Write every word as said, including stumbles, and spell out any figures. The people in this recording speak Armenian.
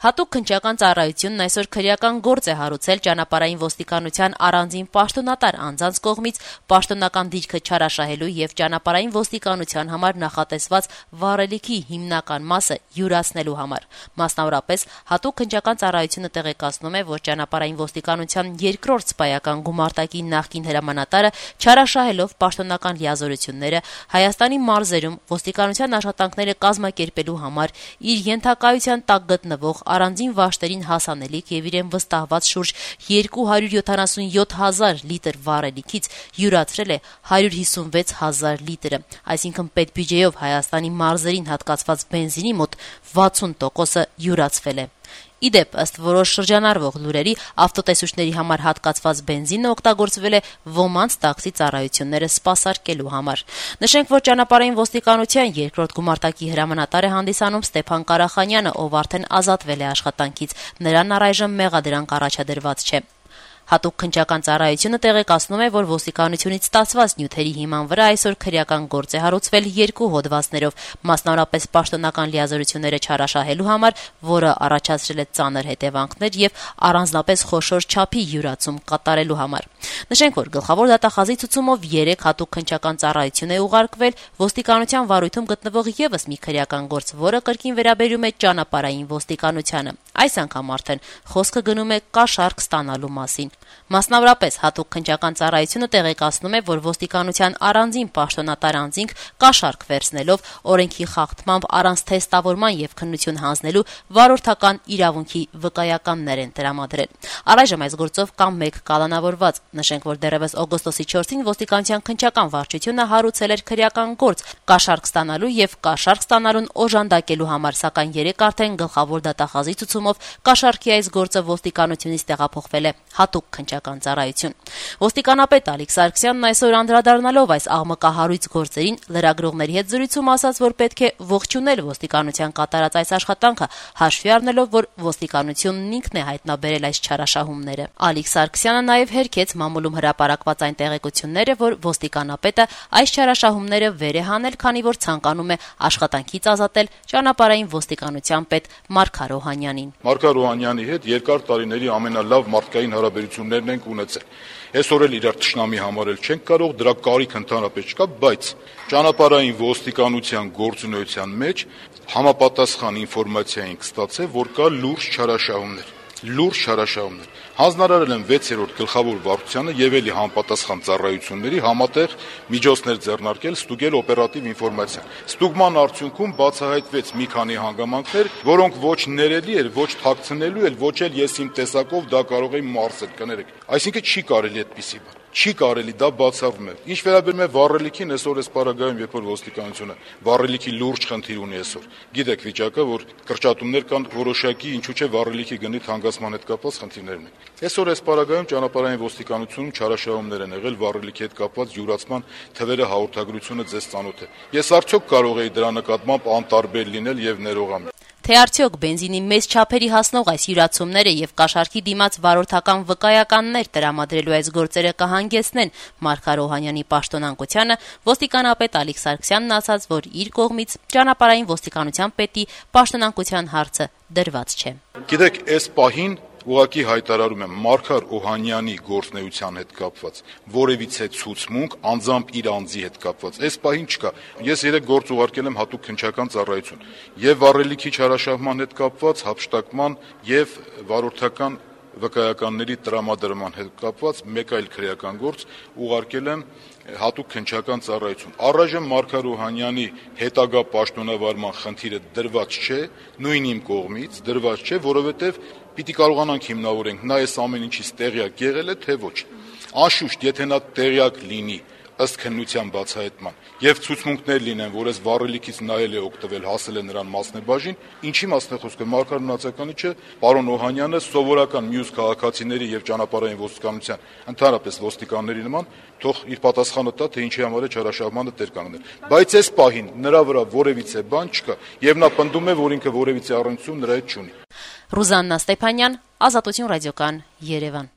Հատուկ քննչական ծառայությունն այսօր քրեական գործ է հարուցել ճանապարհային ոստիկանության առանձին պաշտոնատար անձանց կողմից պաշտոնական դիրքը չարաշահելու եւ ճանապարհային ոստիկանության համար նախատեսված վառելիքի հիմնական մասը յուրացնելու համար։ Մասնավորապես, հատուկ քննչական ծառայությունը տեղեկացնում է, որ ճանապարհային ոստիկանության երկրորդ սպայական գումարտակի նախկին հրամանատարը չարաշահելով պաշտոնական լիազորությունները Հայաստանի մարզերում ոստիկանության աշխատանքները կազմակերպելու համար իր ենթակայության տակ գտնվող առանձին վաշտերին հասանելիք եւ իրեն վստահված շուրջ երկու հարյուր յոթանասունյոթ հազար լիտր վառելիքից յուրացրել է հարյուր հիսունվեց հազար լիտրը, այսինքն պետբյուջեով Հայաստանի մարզերին հատկացված բենզինի մոտ վաթսուն տոկոսը յուրացվել է։ Իդեպ, ըստ որոշ շրջանառվող լուրերի, ավտոտեսուչների համար հատկացված բենզինը օգտագործվել է ոմանց տաքսի ծառայությունները սպասարկելու համար։ Նշենք, որ ճանապարհային ոստիկանության երկրորդ գումարտակի հրամանատար է հանդիսանում Ստեփան Կարախանյանը, ով արդեն ազատվել է աշխատանքից։ Նրան առայժմ մեղադրանք առաջադրված չէ։ Հատուկ քննչական ծառայությունը տեղեկացնում է, որ ոստիկանությունից ստացված նյութերի հիման վրա այսօր քրեական գործ է հարուցվել երկու հոդվածներով, մասնավորապես պաշտոնական լիազորությունները չարաշահելու համար, որը առաջացրել է ծանր հետևանքներ եւ առանձնապես խոշոր չափի յուրացում կատարելու համար։ Նշենք, որ գլխավոր դատախազի ցուցումով երեք հատուկ քննչական ծառայություն է ուղարկվել ոստիկանության վարույթում գտնվող եւս մի քրեական գործ, որը կրկին վերաբերում է ճանապարհային ոստիկանությանը։ Այս անգամ արդեն խոսքը գնում է կաշառք ստանալու մասին։ Մասնավորապես, հատուկ քննչական ծառայությունը տեղեկացնում է, որ ոստիկանության առանձին պաշտոնատար անձինք կաշառք վերցնելով օրենքի խախտմամբ առանց թեստավորման եւ քննություն հանձնելու վարորդական իրավունքի վկայականներ են տրամադրել։ Առայժմ այս գործով կա մեկ կալանավորված։ Նշենք, որ դեռևս օգոստոսի չորսին ոստիկանության քննչական վարչությունը հարուցել էր քրեական գործ կաշառք ստանալու եւ կաշառք ստանալուն օժանդակելու համար, սակայն երեք արդեն գլխավոր դատախազի ցուցումով կաշառքի այս գործը ոստիկանությունից տեղափոխվել է հատուկ քննչական ծառայություն։ Ոստիկանապետ Ալիկ Սարգսյանն այսօր անդրադառնալով այս աղմկահարույց գործերին լրագրողների հետ զրույցում ասաց, որ պետք է ողջունել ոստիկանության կատարած այս աշխատանքը, հաշվի առնելով, որ ոստիկանությունն ինքն է հայտնաբերել այս չարաշահումները։ Ալիկ Սարգսյանը նաև հերքեց մամուլում հրապարակված այն տեղեկությունները, որ ոստիկանապետը այս չարաշահումները վեր է հանել, քանի որ ցանկանում է աշխատանքից ազատել ճանապարհային ոստիկանության պետ Մարգար Օհանյանին։ Մարգար Օհանյանի հետ երկար տարիների ամենալավ մարդկային հարաբերություններն ենք ունեցել։ Այսօր էլ իրար թշնամի համարել չենք կարող, դրա կարիք ընդհանրապես չկա, բայց ճանապարհային ոստիկանության գործունեության մեջ համապատասխան ինֆորմացիա ենք ստացել, որ կա լուրջ չարաշահումներ։ Լուրջ չարաշահումներ։ Հանձնարարել են վեցերորդ գլխավոր վարչությանը եւ էլի համապատասխան ծառայությունների համատեղ միջոցներ ձեռնարկել ստուգել օպերատիվ ինֆորմացիան։ Ստուգման արդյունքում բացահայտվեց մի քանի հանգամանքներ, որոնք ոչ ներելի էր, ոչ թաքցնելու էր, ոչ էլ ես իմ տեսակով դա կարող եմ մարսել, կներեք։ Այսինքն չի կարելի այդպիսի բան։ Չի կարելի, դա բացառվում է։ Ինչ վերաբերում է վառելիքին, այսօր այս պարագայում, երբ որ ոստիկանությունը վառելիքի լուրջ խնդիր ունի այսօր։ Գիտեք վիճակը, որ կրճատումներ կան որոշակի, ինչու՞ չէ վառելիքի գնի թանկացման հետ կապված խնդիրներ ունեն։ Այսօր այս պարագայում ճանապարհային ոստիկանությունում չարաշահումներ են եղել վառելիքի հետ կապված յուրացման թվերը հաղորդագրությունը ձեզ ծանոթ է։ Ես արդյոք կարող եի դրա նկատմամբ անտարբեր լինել եւ ներողամիտ։ Թե արդյոք բենզինի մեծ չափերի հասնող այս յուրացումները եւ կաշառքի դիմաց վարորդական վկայականներ տրամադրելու այս գործերը կհանգեցնեն Մարգար Օհանյանի պաշտոնանկությանը, ոստիկանապետ Ալիկ Սարգսյանն ասաց, որ իր կողմից ճանապարհային ոստիկանության պետի պաշտոնանկության հարցը դրված չէ։ Գիտեք, այս պահին ուղղակի հայտարարում եմ Մարգար Օհանյանի գործնեության հետ կապված որևիցե ցուցմունք անձամբ իր անձի հետ կապված այս պահին չկա։ Ես երեք գործ ուղարկել եմ հատուկ քննչական ծառայություն եւ վառելիքի չարաշահման հետ կապված հափշտակման եւ վարորդական վկայականների տրամադրման հետ կապված մեկ այլ քրեական գործ ուղարկել եմ հատուկ քննչական ծառայություն։ Առայժմ Մարգար Օհանյանի հետագա պաշտոնավարման խնդիրը դրված չէ, նույն իմ կողմից դրված չէ, որովհետեւ պիտի կարողանանք հիմնավորենք նա այս ամեն ինչից տեղյակ եղել է, թե ոչ։ Անշուշտ, եթե նա տեղյակ լինի ըստ քննության բացահայտման եւ ցուցմունքներ լինեն, որ այս վառելիքից նայել է օգտվել, հասել է նրան մասնեբաժին, ինչի մասն է խոսքը, Մարգար մնացականի չէ, պարոն Օհանյանը սովորական մյուս քաղաքացիների եւ ճանապարհային ոստիկանության, ընդհանրապես ոստիկանների նման, թող իր պատասխանը տա, թե ինչի համար է չարաշահմանը տեր կանգնել։ Բայց այս պահին նրա վրա որևիցե բան չկա եւ նա պնդում է, որ ինքը որևիցե առնչություն նրա հետ չունի։ Ռուզաննա Ստեփանյան, Ազատություն ռադիոկան, Երևան։